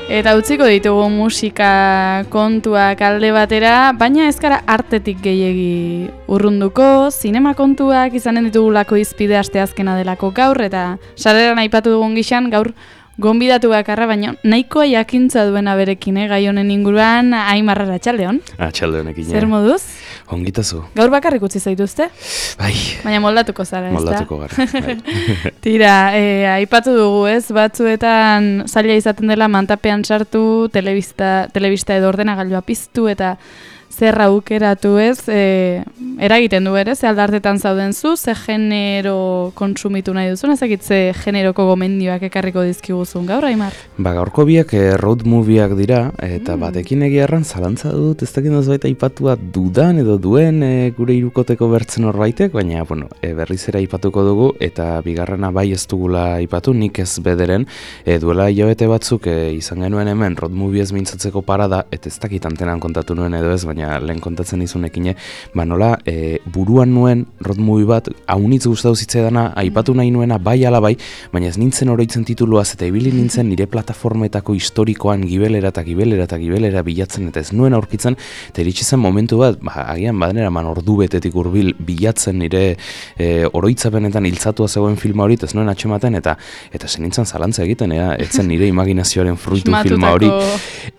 Eta utziko ditugu musika kontuak alde batera, baina ez gara artetik gehiegi urrunduko, zinema kontuak izanen ditugulako izpide asteazkena delako gaur, eta sarreran aipatu dugun gixan gaur gonbidatu bakarra, baina nahikoa jakintza duena berekin, gai honen inguruan, Aimar Arratsaldeon. Arratsaldeonekin. Zer moduz? Ongitazu. Gaur bakarrik utzi zaituzte? Bai. Baina moldatuko zara, ez da? Moldatuko gara. Bai. Tira, aipatu dugu, ez? Batzuetan zaila izaten dela mantapean sartu, telebista edo ordenagailua piztu eta zer aukeratu, ez? Eragiten du ere, ze aldartetan zauden zu, ze genero kontsumitu nahi duzun, ezakit ze generoko gomendioak ekarriko dizkiguzun gaur, Aimar? Gaurko biak road movieak dira, eta batekin egia erran zalantza dut, ez dakit baita aipatua dudan edo duen gure irukoteko bertzen horbaitek, baina berriz ere aipatuko dugu, eta bigarrena bai ez dugula aipatu, nik ez bederen, duela hilabete batzuk izan genuen hemen road movie ez mintzatzeko parada, eta ez dakit antenan kontatu nuen edo ez, baina lehen kontatzen izunekin, nola buruan nuen road movie bat, haunitz gustatu zitzaidana, aipatu nahi nuena bai ala bai, baina ez nintzen oroitzen tituluaz, eta ibili nintzen nire plataformetako historikoan gibelera bilatzen, eta ez nuen aurkitzen, eta iritsi zen momentu bat, agian badenera ordu betetik hurbil bilatzen nire oroitzapenetan hiltzatua zegoen filma hori, ez nuen atxematen, eta zen nintzen zalantza egiten, etzen nire imaginazioaren fruitu filma hori,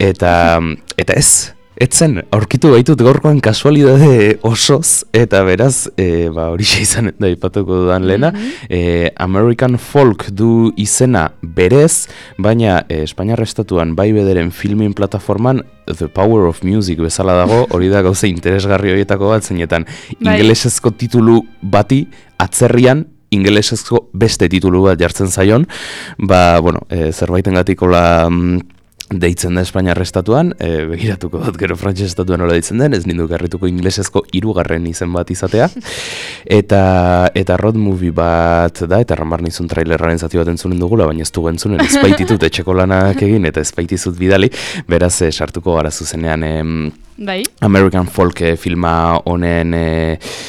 eta ez. Etzen, aurkitu baitut gaurkoan kasualidade osoz, eta beraz, horixe izan da ipatuko dudan lehena, American Folk du izena berez, baina Espainiar Estatuan bai bederen filmin plataforman The Power of Music bezala dago, hori da gauza interesgarri horietako bat, zeinetan ingelesezko titulu bati atzerrian, ingelesezko beste titulu bat jartzen zaion, zerbaitengatik hola deitzen da Espainiar Estatuan, begiratuko dut gero Frantses Estatuan nola deitzen den, ez nindu garrituko inglesezko 3. izen bat izatea, eta road movie bat da, eta ramar nizun trailerraren zati bat entzunen dugula, baina ez dugu entzunen, ez baititut etxeko lanak egin, eta ez baitizut bidali, beraz sartuko gara zuzenean American Folk filma honen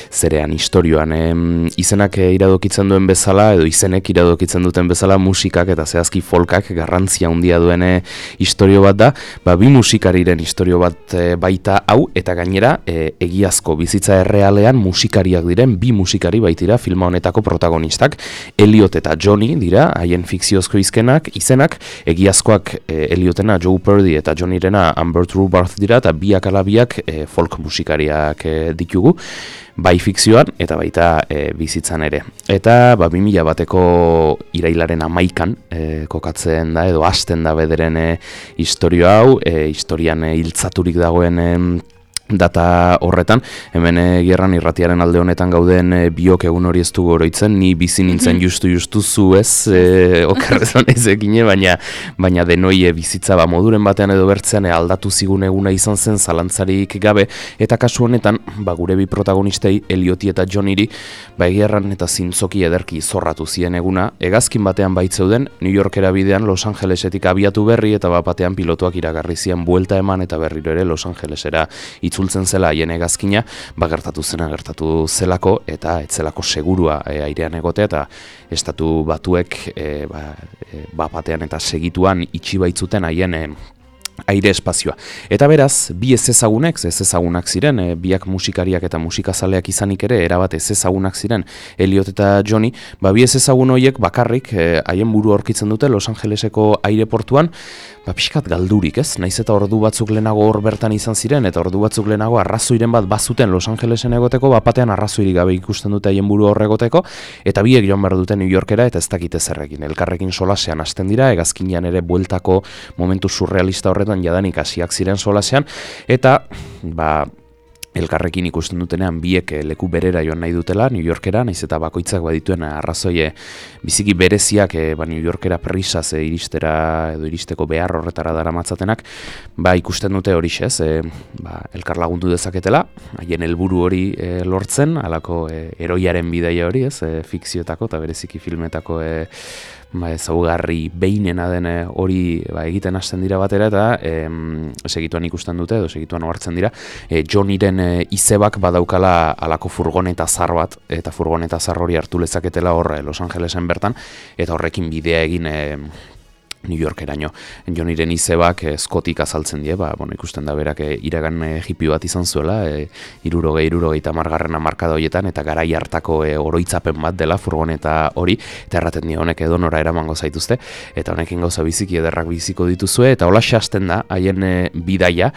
zerean, historioan, izenak iradokitzen duen bezala, edo izenek iradokitzen duten bezala, musikak eta zehazki folkak garrantzia handia duen historio bat da, bi musikariren historio bat baita hau, eta gainera egiazko bizitza errealean musikariak diren, 2 musikari baitira filma honetako protagonistak, Elliot eta Johnny dira, haien fikziozko izenak, egiazkoak Elliotena Joe Purdy eta Johnny-rena Amber Trubarth dira, eta biak alabiak folk musikariak ditugu, bai fikzioan eta baita bizitzan ere. Eta 2000 bateko irailaren 11an kokatzen da edo hasten da bederen historio hau, historian hiltzaturik dagoen data horretan, hemen gerran irratiaren alde honetan gauden biok egun hori ez dugu oroitzen, ni bizi nintzen justu zu ez, okerrezan ezekin, baina denoi bizitza moduren batean edo bertzean aldatu zigun eguna izan zen zalantzarik gabe, eta kasu honetan, gure bi protagonistei, Ellioti eta Johnnyri, gerran eta zintzoki ederki zorratu zien eguna, hegazkin batean baitzeuden, New Yorkera bidean Los Angelesetik abiatu berri, eta batean pilotuak iragarri zien buelta eman, eta berriro ere Los Angelesera itzultzen zela haien hegazkina, gertatu zelako, eta etzelako segurua airean egotea, eta estatu batuek batean eta segituan itxi baitzuten haien aire espazioa. Eta beraz, bi ezezagunak ziren, biak musikariak eta musikazaleak izanik ere, erabat ezezagunak ziren Elliot eta Johnny, bi ezezagun horiek bakarrik haien buru aurkitzen dute Los Angeleseko aireportuan, pixkat galdurik, ez? Naiz eta ordu batzuk lehenago hor bertan izan ziren, eta ordu batzuk lehenago arrazoiren bat bazuten Los Angelesen egoteko, batean arrazoirik gabe ikusten dute haien buru hor egoteko, eta biek joan behar dute New Yorkera, eta ez dakite zerrekin. Elkarrekin solasean hasten dira, hegazkinean ere bueltako momentu surrealista horretan jadanik hasiak ziren solasean, eta elkarrekin ikusten dutenean biek leku berera joan nahi dutela, New Yorkera, naiz eta bakoitzak badituen arrazoi biziki bereziak New Yorkera prisaz iristeko behar horretara daramatzatenak, ikusten dute horixez, elkar lagundu dezaketela, haien helburu hori lortzen, halako heroiaren bidaia hori, fikzioetako eta bereziki filmetako ezaugarri behinena den hori egiten hasten dira batera, eta segituan ikusten dute, edo segituan ohartzen dira, Johnnyren izebak badaukala alako furgoneta zar bat, eta furgoneta zar hori hartu lezaketela hor Los Angelesen bertan, eta horrekin bidea egin New Yorkeraino. Joniren izebak Scottik azaltzen die, ikusten da berak iragan hippie bat izan zuela, 60-70 hamarkada horietan, eta garai hartako oroitzapen bat dela furgoneta hori, eta erraten die honek edonora eramango zaituzte, eta honekin gauza biziki ederrak biziko dituzue, eta hola hasten da, haien bidaia.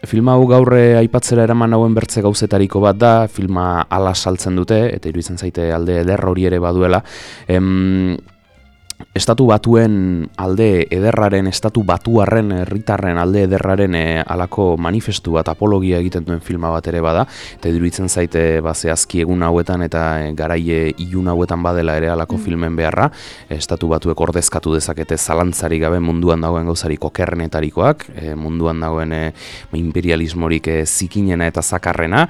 Filma hau gaur aipatzera eraman hauen bertze gauzetariko bat da, filma ala saltzen dute, eta iruditzen zaite alde eder hori ere baduela. Estatu batuen alde ederraren, estatu batuarren, herritarren alde ederraren alako manifestu bat, apologia egiten duen filma bat ere bada, eta iruditzen zaite zehazki egun hauetan eta garaie ilun hauetan badela ere alako filmen beharra, estatu batuek ordezkatu dezakete zalantzarik gabe munduan dagoen gauzarik okerrenetarikoak, munduan dagoen imperialismorik zikinena eta zakarrena,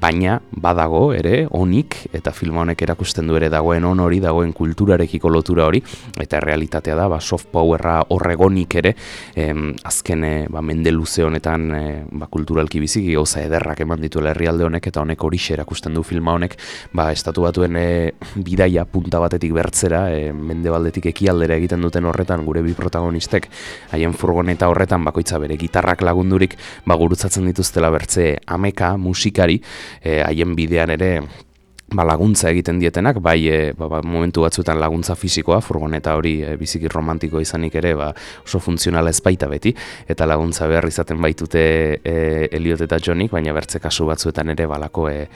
baina badago ere, onik, eta filma honek erakusten du ere dagoen on hori, dagoen kulturarekiko lotura hori, eta realitatea da, soft powerra horregonik ere, azken mende luze honetan kulturalki biziki gauza ederrak eman dituela herrialde honek, eta honek horixe erakusten du filma honek, estatu batuen bidaia punta batetik bertzera, mendebaldetik ekialdera egiten duten horretan, gure bi protagonistek, haien furgoneta horretan, bakoitza bere gitarrak lagundurik, gurutzatzen dituztela bertze ameka, musikari, haien bidean ere, laguntza egiten dietenak, momentu batzuetan laguntza fisikoa, furgoneta hori biziki romantiko izanik ere, oso funtzionala ez baita beti, eta laguntza behar izaten baitute Elliot eta Johnik, baina bertze kasu batzuetan ere balako ez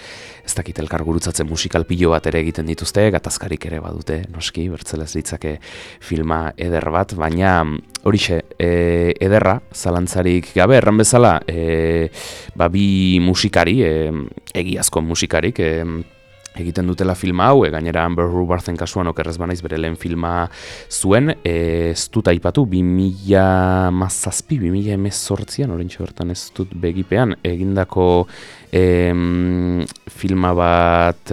dakit elkar gurutzatzen musikal pilo bat ere egiten dituzte, gatazkarik ere badute, noski, bertzelez ditzake filma eder bat, baina horixe, ederra, zalantzarik gabe, erran bezala, bi musikari, egiazko musikarik, egiten dutela filma hau, gainera Amber Rubarthen kasuan okerrez banaiz bere lehen filma zuen, ez dut aipatu, 2017-2018, orintxe bertan ez dut begipean, egindako filma bat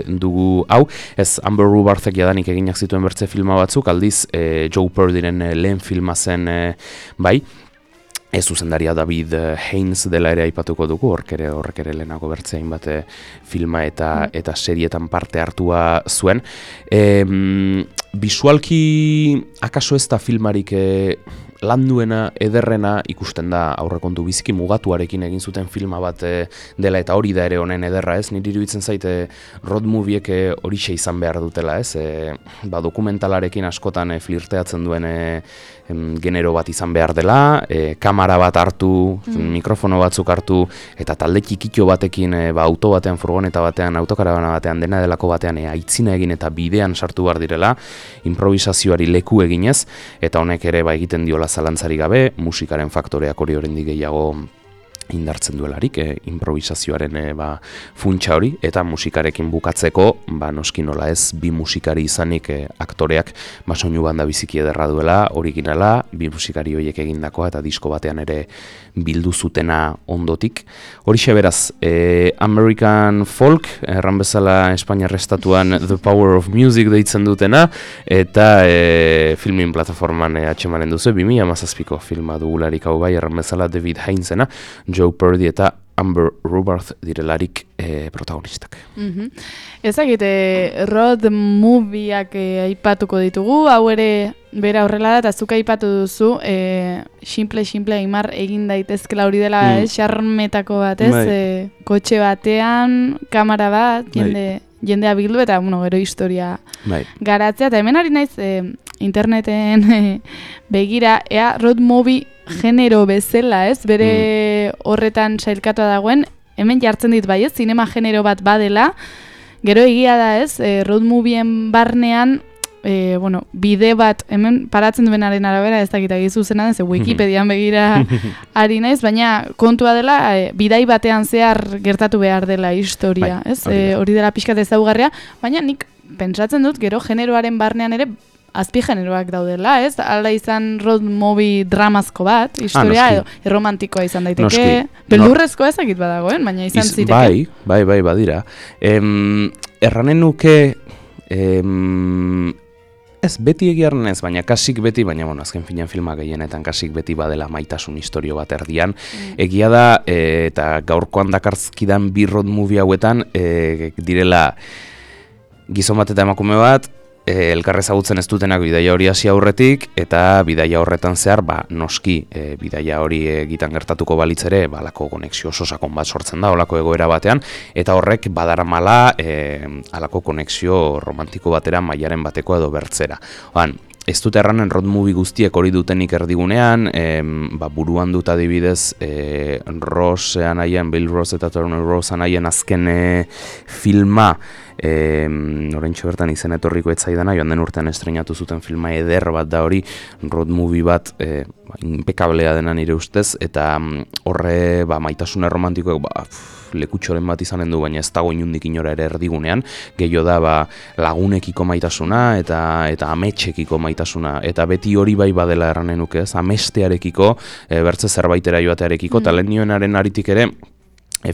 dugu hau, ez Amber Rubarthek jadanik eginak zituen bertze filma batzuk, aldiz Joe Purdyren lehen filma zen bai, ez zuzendaria David Haynes dela ere aipatuko dugu, horrek ere lehenago bertzein bat filma eta serietan parte hartua zuen. Bisualki akaso ez da filmarik landuena, ederrena ikusten da aurrekontu biziki mugatuarekin egin zuten filma bat dela, eta hori da ere honen ederra, ez? Niri iruditzen zaite road moviek horixe izan behar dutela, ez? Dokumentalarekin askotan flirteatzen duen genero bat izan behar dela, kamera bat hartu, mikrofono batzuk hartu, eta talde txikitxo batekin auto batean, furgoneta batean, autokaravana batean, dena delako batean aitzina egin eta bidean sartu behar direla, improvisazioari leku eginez, eta honek ere egiten diola zalantzari gabe, musikaren faktoreak hori oraindik gehiago indartzen duelarik, improvisazioaren funtsa hori, eta musikarekin bukatzeko, noski nola ez, bi musikari izanik aktoreak soinu banda biziki ederra duela, originala, bi musikari horiek egindakoa, eta disko batean ere bildu zutena ondotik. Horixe beraz, American Folk, erran bezala Espainiar estatuan The Power of Music deitzen dutena, eta filmin plataforman atxemanen duzu, 2017ko filma dugularik hau bai, erran bezala David Haynesena, Joe Purdy eta Amber Rubarth direlarik protagonistak. Ezagite, road movieak aipatuko ditugu, hau ere bera horrela da, eta zuk aipatu duzu, simple Aimar egin daitezkela hori dela, xarmetako bat, ez? Kotxe batean, kamera bat, jendea bildu, eta gero historia garatzea, eta hemen ari naiz interneten begira, ea road movie genero bezala, ez? Bere horretan sailkatua dagoen, hemen jartzen dit bai, ez? Zinema genero bat badela, gero egia da, ez? Road movien barnean, bide bat, hemen paratzen duenaren arabera, ez dakita gizuzena den, ze Wikipedian begira ari naiz, baina kontua dela, bidai batean zehar gertatu behar dela historia, ez? Hori dela pixkat ezaugarria, baina nik pentsatzen dut, gero generoaren barnean ere, azpi generoak daudela, ez? Hala izan road movie dramazko bat, historia edo erromantikoa izan daiteke, beldurrezkoa ezakit badagoen, baina izan zireke. Bai, badira. Erranen nuke, ez beti egiarren ez, baina kasik beti, baina azken finean filma gehienetan kasik beti badela maitasun historio bat erdian. Egia da, eta gaurkoan dakarzkidan bi road movie hauetan, direla gizon bat eta emakume bat, elkarre ezagutzen ez dutenak bidaia hori hasi aurretik, eta bidaia horretan zehar, noski, bidaia hori egiten gertatuko balitz ere, halako konexio oso sakon bat sortzen da, holako egoera batean, eta horrek badaramala halako konexio romantiko batera mailaren bateko edo bertzera. Ez dut erranen road movie guztiek hori dutenik erdigunean, buruan dut adibidez Bill Ross eta Turner Ross anaien azken filma, orentxo bertan izen etorriko etzaidana, joan den urtean estreinatu zuten filma eder bat da hori, road movie bat impekablea dena nire ustez, eta horre maitasune romantikoak lekutxoren bat izanen du, baina ez dago inundik inora ere erdigunean, gehiago da lagunekiko maitasuna eta ametxekiko maitasuna, eta beti hori bai badela erranen nuke, amestearekiko, bertze zerbaitera joatearekiko, eta lehen nioenaren aritik ere,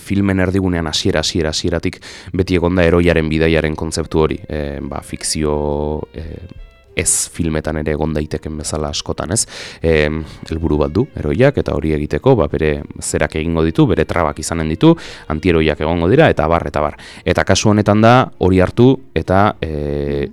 filmen erdigunean hasieratik beti egonda eroiaren bidaiaren kontzeptu hori, fikzio ez filmetan ere egon daiteken bezala askotan, ez? Helburu bat du, eroiak, eta hori egiteko, bere zerak egingo ditu, bere trabak izanen ditu, antieroiak egongo dira, eta bar. Eta kasu honetan da, hori hartu, eta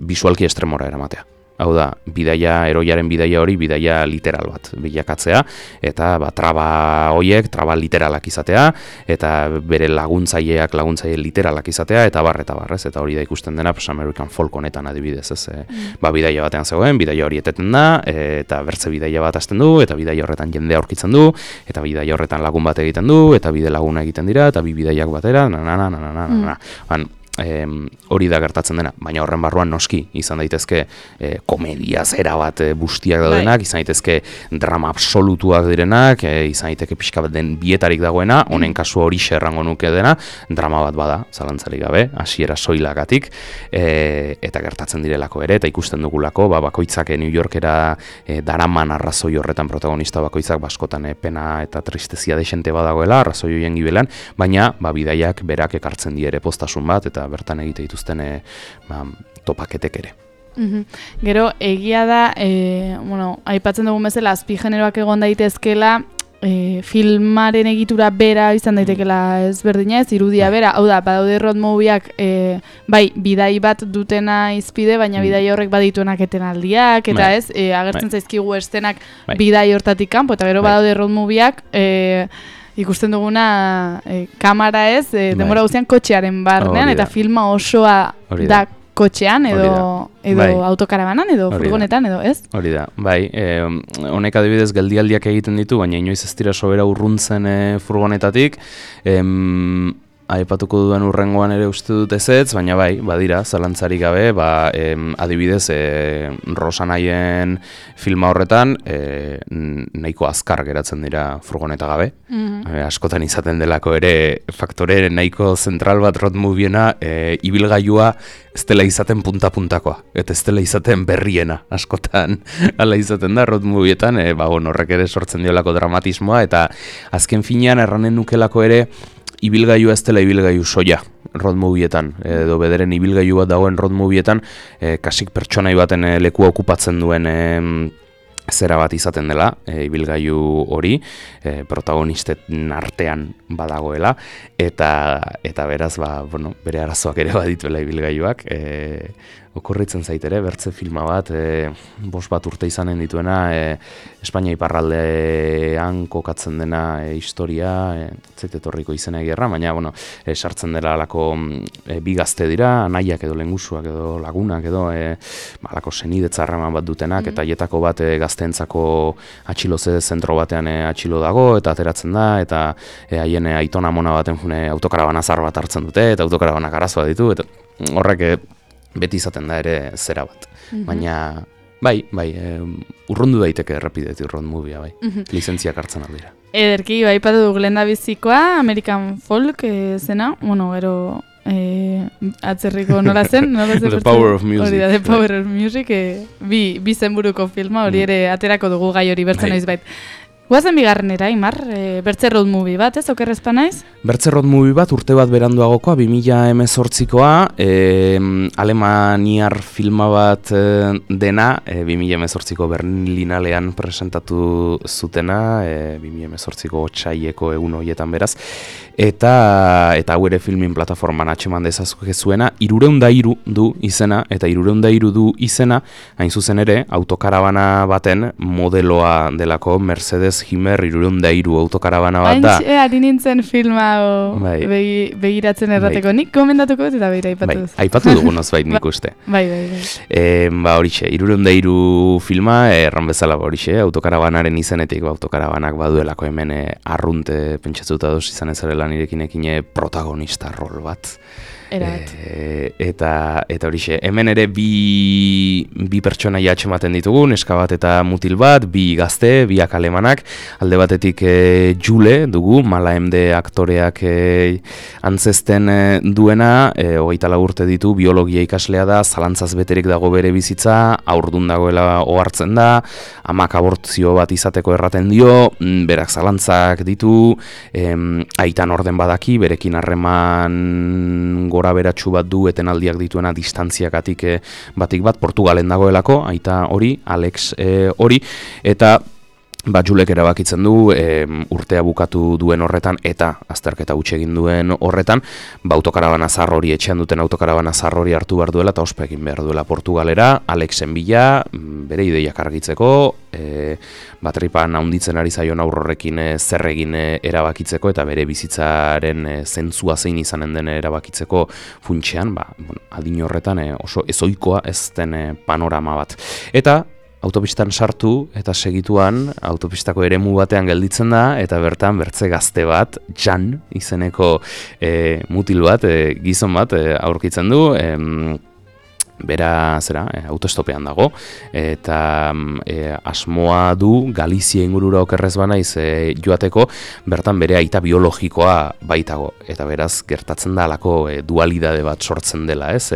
bisualki estremora eramatea. Hau da, eroiaren bidaia hori, bidaia literal bat bilakatzea, eta traba horiek, traba literalak izatea, eta bere laguntzaile literalak izatea, eta bar, ez? Eta hori da ikusten dena, American Folk honetan adibidez, ez? Bidaia batean zegoen, bidaia hori eteten da, eta bertze bidaia bat hasten du, eta bidaia horretan jendea aurkitzen du, eta bidaia horretan lagun bat egiten du, eta bide laguna egiten dira, eta bi bidaiak batera, hori da gertatzen dena, baina horren barruan noski izan daitezke komedia zera bat bustiak daudenak, izan daitezke drama absolutuak direnak, izan daiteke pixka bat den bietarik dagoena, honen kasu hori errango nuke dena, drama bat bada, zalantzarik gabe, hasiera soilagatik, eta gertatzen direlako ere, eta ikusten dugulako, bakoitzak New Yorkera daraman arrazoi horretan protagonista bakoitzak baskotan pena eta tristezia desente badagoela, arrazoi horien gibelan, baina bidaiak berak ekartzen die ere postasun bat, eta bertan egite dituzten topaketek ere. Gero, egia da, aipatzen dugun bezala, azpigeneroak egon daitezkela, filmaren egitura bera izan daitekela ezberdina, ez irudia bera, hau da, badaude road movieak, bidai bat dutena izpide, baina bidai horrek badituenak etenaldiak, eta ez, agertzen zaizkigu estenak bidai hortatik kanpo, eta gero badaude road movieak, ikusten duguna kamera ez, denbora guztian kotxearen barnean, eta filma osoa da kotxean, edo autokarabanan, edo furgonetan, edo ez? Hori da, honek adibidez geldialdiak egiten ditu, baina inoiz ez dira sobera urruntzen furgonetatik, aipatuko duen urrengoan ere uste dut ezetz, baina badira, zalantzarik gabe, adibidez, Rosanaien filma horretan, nahiko azkar geratzen dira furgoneta gabe. Askotan izaten delako ere faktore nahiko zentral bat road moviena, ibilgailua ez dela izaten punta-puntakoa, eta ez dela izaten berriena, askotan hala izaten da road movietan, horrek ere sortzen diolako dramatismoa, eta azken finean erranen nukelako ere, ibilgailu ez dela ibilgailu soia road movietan, edo bederen ibilgailu bat dagoen road movietan, kasik pertsonai baten lekua okupatzen duen zera bat izaten dela, ibilgailu hori, protagonisten artean badagoela, eta beraz, bere arazoak ere badituela ibilgailuak, okurritzen zaitere, bertze filma bat, 5 urte izanen dituena, Espainia iparraldean kokatzen dena historia, etorriko izena egerra, baina, sartzen dela alako bi gazte dira, anaiak edo lengusuak edo lagunak edo, alako senidetzarraman bat dutenak, eta hietako bat gazteentzako atxiloze zentro batean atxilo dago, eta ateratzen da, eta haien aitona mona baten autokarabana zar bat hartzen dute, eta autokarabanak arazoa ditu, eta horrek beti izaten da ere zera bat. Baina, urrundu daiteke errepidetik road movie, lizentziak hartzen aldira. Ederki, padu Glenda bizikoa, American Folk zena, gero atzerriko nola zen? The Power of Music. Hori da, The Power of Music, bi zenburuko filma, hori ere aterako dugu gai hori bertzen noiz bait. Guazen bigarrenera, Imar, bertze road movie bat, ez, okerrezpa naiz? Bertze road movie bat urte bat beranduagokoa, 2018koa, alemaniar filma bat dena, 2018ko Berlinalean presentatu zutena, 2018ko otsaileko egun horietan beraz, eta hau ere filmin plataforman atxeman dezazuena, 303 du izena, eta 303 du izena, hain zuzen ere, autokarabana baten modeloa delako Mercedes Himer 303 autokarabana bat da. Ari nintzen filma begiratzen errateko. Nik komendatuko eta begira aipatu duz. Aipatu dugunaz bait nik uste. Bai. Horixe, 303 filma, erran bezala horixe, autokarabanaren izenetik, autokarabanak baduelako hemen arrunte pentsatzuta doz izan ezarela nirekinekin protagonista rol bat. Eta horixe, hemen ere bi pertsonaia atxematen ditugu, neska bat eta mutil bat, bi gazte, biak alemanak, alde batetik Jule dugu, Mala MD aktoreak antzesten duena, 24 urte ditu, biologia ikaslea da, zalantzaz beterik dago bere bizitza, aurdun dagoela ohartzen da, amak abortzio bat izateko erraten dio, berak zalantzak ditu, aitan orden badaki, berekin harreman gora beratxu bat du etenaldiak dituena distantziakatik batik bat, Portugalen dagoelako, aita hori, Alex hori, eta Julek erabakitzen du urtea bukatu duen horretan eta azterketa huts egin duen horretan, autokarabana zahar hori etxean duten autokarabana zahar hori hartu behar duela eta ospe egin behar duela Portugalera, Alexen bila, bere ideiak argitzeko, batripan handitzen ari zaion aurrorrekin zer egin erabakitzeko eta bere bizitzaren zentzua zein izanen den erabakitzeko funtsean, adin horretan oso ezoikoa ez den panorama bat. Eta autopistan sartu eta segituan autopistako eremu batean gelditzen da eta bertan bertze gazte bat, Jan izeneko mutil bat, gizon bat aurkitzen du, bera autostopean dago eta asmoa du Galizia ingurura okerrez banaiz joateko, bertan bere aita biologikoa baitago eta beraz gertatzen da alako dualidade bat sortzen dela, ez?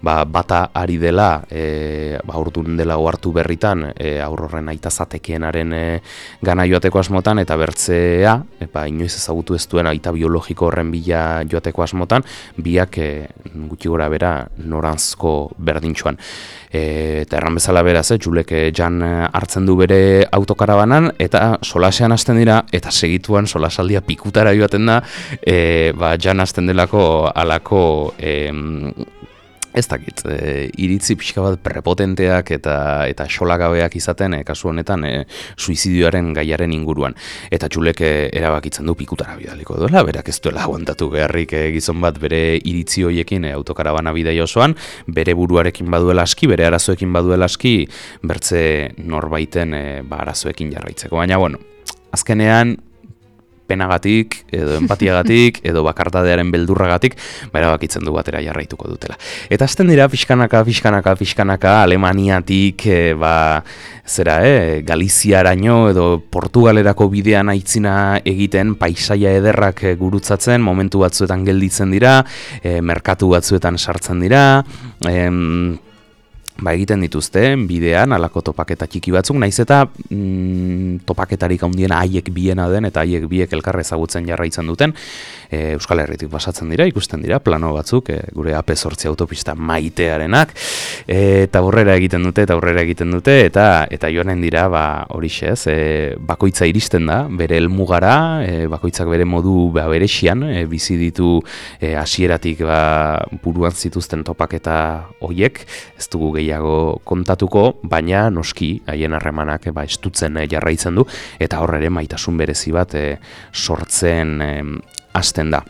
Bata ari dela, aurdun dela ohartu berritan aurrorren aita zatekeenaren gana joateko asmotan eta bertzea, inoiz ezagutu ez duen aita biologiko horren bila joateko asmotan, biak gutxi gora bera noranzko berdintxuan. Eta erran bezala beraz, Julek Jan hartzen du bere autokarabanan eta solasean hasten dira eta segituan solasaldia pikutara joaten da, Jan hasten delako alako ez dakit, iritzi pixka bat prepotenteak eta xolagabeak izaten, kasu honetan, suizidioaren gaiaren inguruan. Eta Julek erabakitzen du pikutara bidaliko duela, berak ez duela aguantatu beharrik gizon bat bere iritzi hoiekin autokarabana bidai osoan, bere buruarekin baduela aski, bere arazoekin baduela aski, bertze norbaiten arazoekin jarraitzeko. Baina, azkenean, penagatik, edo empatiagatik, edo bakartadearen beldurragatik, erabakitzen du batera jarraituko dutela. Eta azten dira, pixkanaka, Alemaniatik, Galiziaraino, edo Portugalerako bidean aitzina egiten, paisaia ederrak gurutzatzen, momentu batzuetan gelditzen dira, merkatu batzuetan sartzen dira, egiten dituzte, bidean, alako topaketa txiki batzuk, naiz eta topaketarik handiena haiek biena den, eta haiek biek elkarra ezagutzen jarraitzen duten, Euskal Herritik pasatzen dira, ikusten dira, plano batzuk, gure AP8 autopista maitearenak, eta aurrera egiten dute, eta joanen dira, horixe ez, bakoitza iristen da, bere helmugara, bakoitzak bere modu berexian, bizi ditu hasieratik buruan zituzten topaketa hoiek, ez dugu gehiago kontatuko, baina noski haien harremanak estutzen jarraitzen du eta hor ere maitasun berezi bat sortzen hasten da.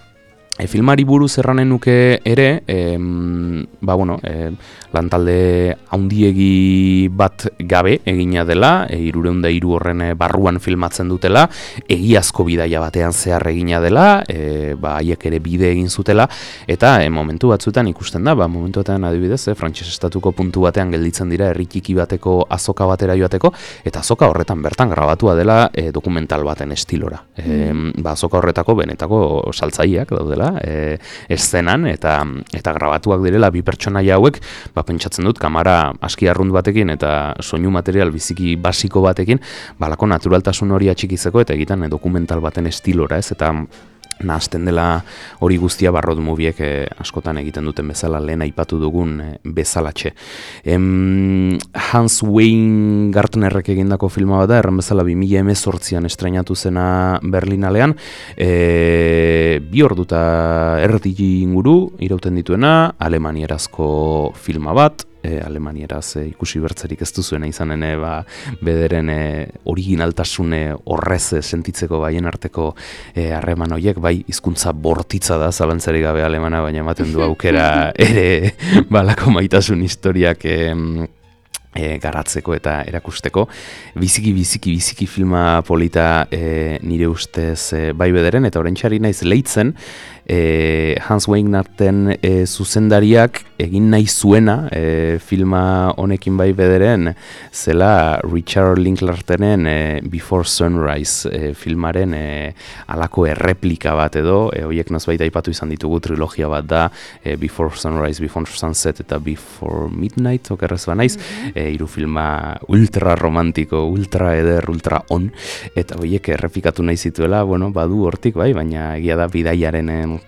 Filmari buruz erranen nuke ere, lantalde handiegi bat gabe egina dela, 303 horren barruan filmatzen dutela, egiazko bidaia batean zehar egina dela, haiek ere bide egin zutela, eta momentu batzuetan ikusten da, momentuetan adibidez, frantses estatuko puntu batean gelditzen dira herri txiki bateko azoka batera joateko, eta azoka horretan bertan grabatua dela dokumental baten estilora. Azoka horretako benetako saltzaileak daudela, eszenan eta grabatuak direla bi pertsonaia hauek pentsatzen dut, kamera aski arrunt batekin eta soinu material biziki basiko batekin, balako naturaltasun hori atxikizeko eta egiten dokumental baten estilora, ez, eta nahazten dela hori guztia road moviek askotan egiten duten bezala, lehen aipatu dugun bezalatxe. Hans Weingartnerrek egindako filma bat da, erran bezala 2018an estreinatu zena Berlinalean, 2 ordu eta erdi inguru irauten dituena, alemanierazko filma bat, alemanieraz ikusi bertzerik ez duzuena izanen bederen originaltasune horrez sentitzeko baien arteko harreman horiek, bai hizkuntza bortitza da, zalantzarik gabe alemana, baina ematen du aukera ere balako maitasun historiak garatzeko eta erakusteko. Biziki filma polita nire ustez bai bederen, eta oraintxari naiz leitzen, Hans Weingarten zuzendariak egin nahi zuena filma honekin bai bederen zela Richard Linklaterenen Before Sunrise filmaren alako erreplika bat edo, horiek nozbait aipatu izan ditugu, trilogia bat da, Before Sunrise, Before Sunset eta Before Midnight, okerrez banaiz, hiru filma ultra romantiko, ultra eder, ultra on, eta horiek errepikatu nahi zituela, bueno, badu hortik bai, baina egia da bidaiaren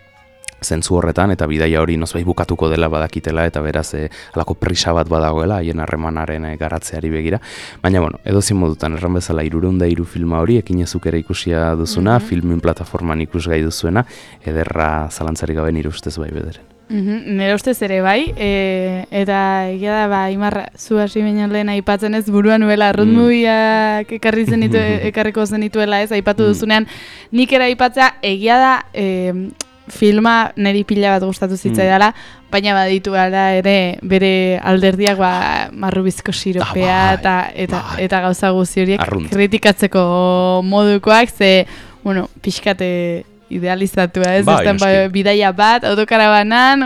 zentzu horretan, eta bidaia hori nozbait bukatuko dela badakitela, eta beraz alako prisa bat badagoela, haien harremanaren garatzeari begira. Baina, bueno, edozin modutan, erran bezala 303 filma hori, ekinezuk ere ikusia duzuna, filmin plataforman ikusgai duzuena, ederra zalantzarik gabe nire ustez bai bederen. Nire ustez ere bai, eta egia da, Imarra, zu hasi baino lehen aipatzen ez buruan nuela, road movieak ekarriko zenituela ez, aipatu duzunean, nik ere aipatzea, egia da, filma niri pila bat gustatu zitzaidala, baina baditu gara ere bere alderdiak marrubizko siropea eta gauza guzti horiek kritikatzeko modukoak, ze, bueno, pixkate idealizatua, ez? Bidaia bat, autokarabanan,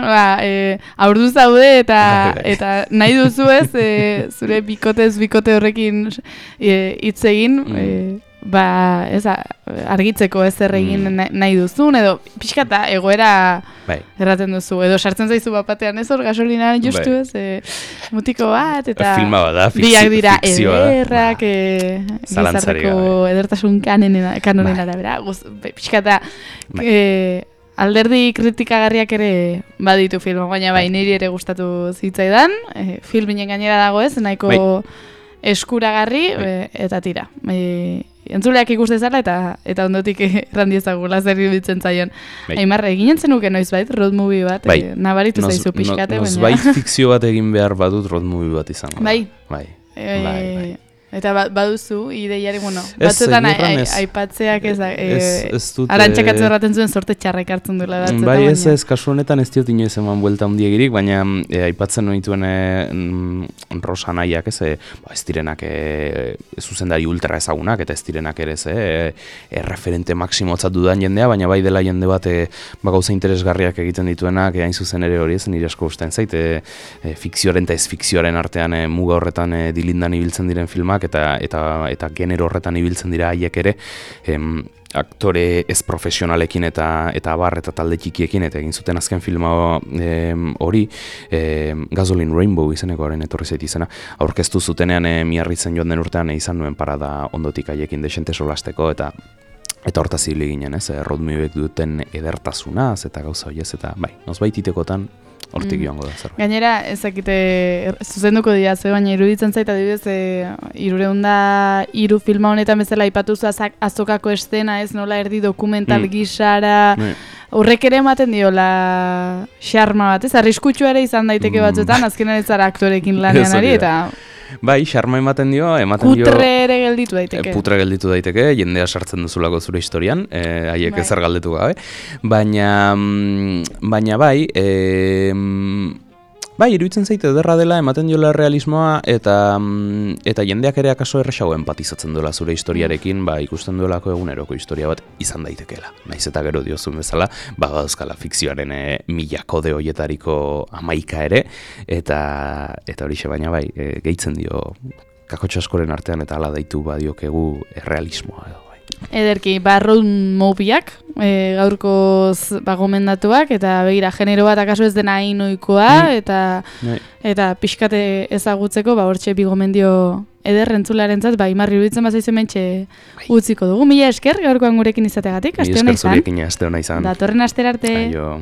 aurdu zaude eta nahi duzu ez, zure bikote horrekin hitz egin, argitzeko ez egin nahi duzun, edo pixkata egoera erraten duzu, edo sartzen zaizu bapatean ez hor gasolinaren justu ez, mutiko bat, eta biak dira ederrak, gizarteko edertasun kanonen arabera, pixkata alderdi kritikagarriak ere baditu filma, baina niri ere gustatu zitzaidan, filminen gainera dago ez, nahiko eskuragarri, eta tira. Entzuleak ikustezala eta ondotik errandiezagula zer iruditzen zaion. Aimarra, eginen zenuke noizbait road movie bat, nabaritu zaizu pixkate. Noizbait fikzio bat egin behar badut road movie bat izango. Bai. Eta baduzu, ideiari, batzuetan aipatzeak arantxakatzen erraten zuen sorte txarrak hartzen duela. Bai, ez kasu honetan ez diot inoiz eman buelta hundiagirik, baina aipatzen nituen Rosa nahiak, ez direnak zuzendari ultra ezagunak, eta ez direnak ere referente maksimotzat dudan jendea, baina bai dela jende bat gauza interesgarriak egiten dituenak, hain zuzen ere hori ez, nire asko ustean zait, fikzioaren eta ez fikzioaren artean muga horretan dilindan ibiltzen diren filmak, eta genero horretan ibiltzen dira haiek ere, aktore ez profesionalekin eta abar eta talde txikiekin, eta egin zuten azken filma hori, Gasoline Rainbow izeneko haren etorri zait izena, aurkeztu zutenean miarritzen joan den urtean izan nuen parada ondotik haiekin desente solasteko, eta hortaz hile ginen, road moviek duten edertasunaz, eta gauza horiez, eta bai, nozbaititekotan hortik joango da zerbait. Gainera, ezakite zuzenduko dira, baina iruditzen zait adibidez 303 filma honetan bezala aipatu zu azokako estena, ez nola erdi dokumental gisara, horrek ere ematen diola xarma bat, ez arriskutsua ere izan daiteke batzuetan, azkenan ez zara aktorekin lanean ari, eta bai, xarma ematen dio... Putre ere gelditu daiteke. Putre gelditu daiteke, jendea sartzen duzulako zure historian, haiek ezer galdetu gabe. Baina bai, iruditzen zaite ederra dela ematen diola realismoa, eta jendeak ere akaso erresago empatizatzen duela zure historiarekin, ikusten duelako eguneroko historia bat izan daitekeela. Naiz eta gero diozun bezala, badauzkala fikzioaren milako de hoietariko 11 ere, eta horixe baina bai, gehitzen dio kakotxo askoren artean eta hala daitu badiokegu errealismoa edo. Ederki, road movieak, gaurkoz gomendatuak, eta begira, genero bat akaso ez dena inoikoa, eta pixkate ezagutzeko, hortxe bi gomendio ederrentzulearentzat, imarri iruditzen bazaizu mentxe utziko dugu. Mila esker, gaurkoan gurekin izategatik, aste hona izan. Mila esker zurekin aste hona izan. Datorren astera arte. Aio.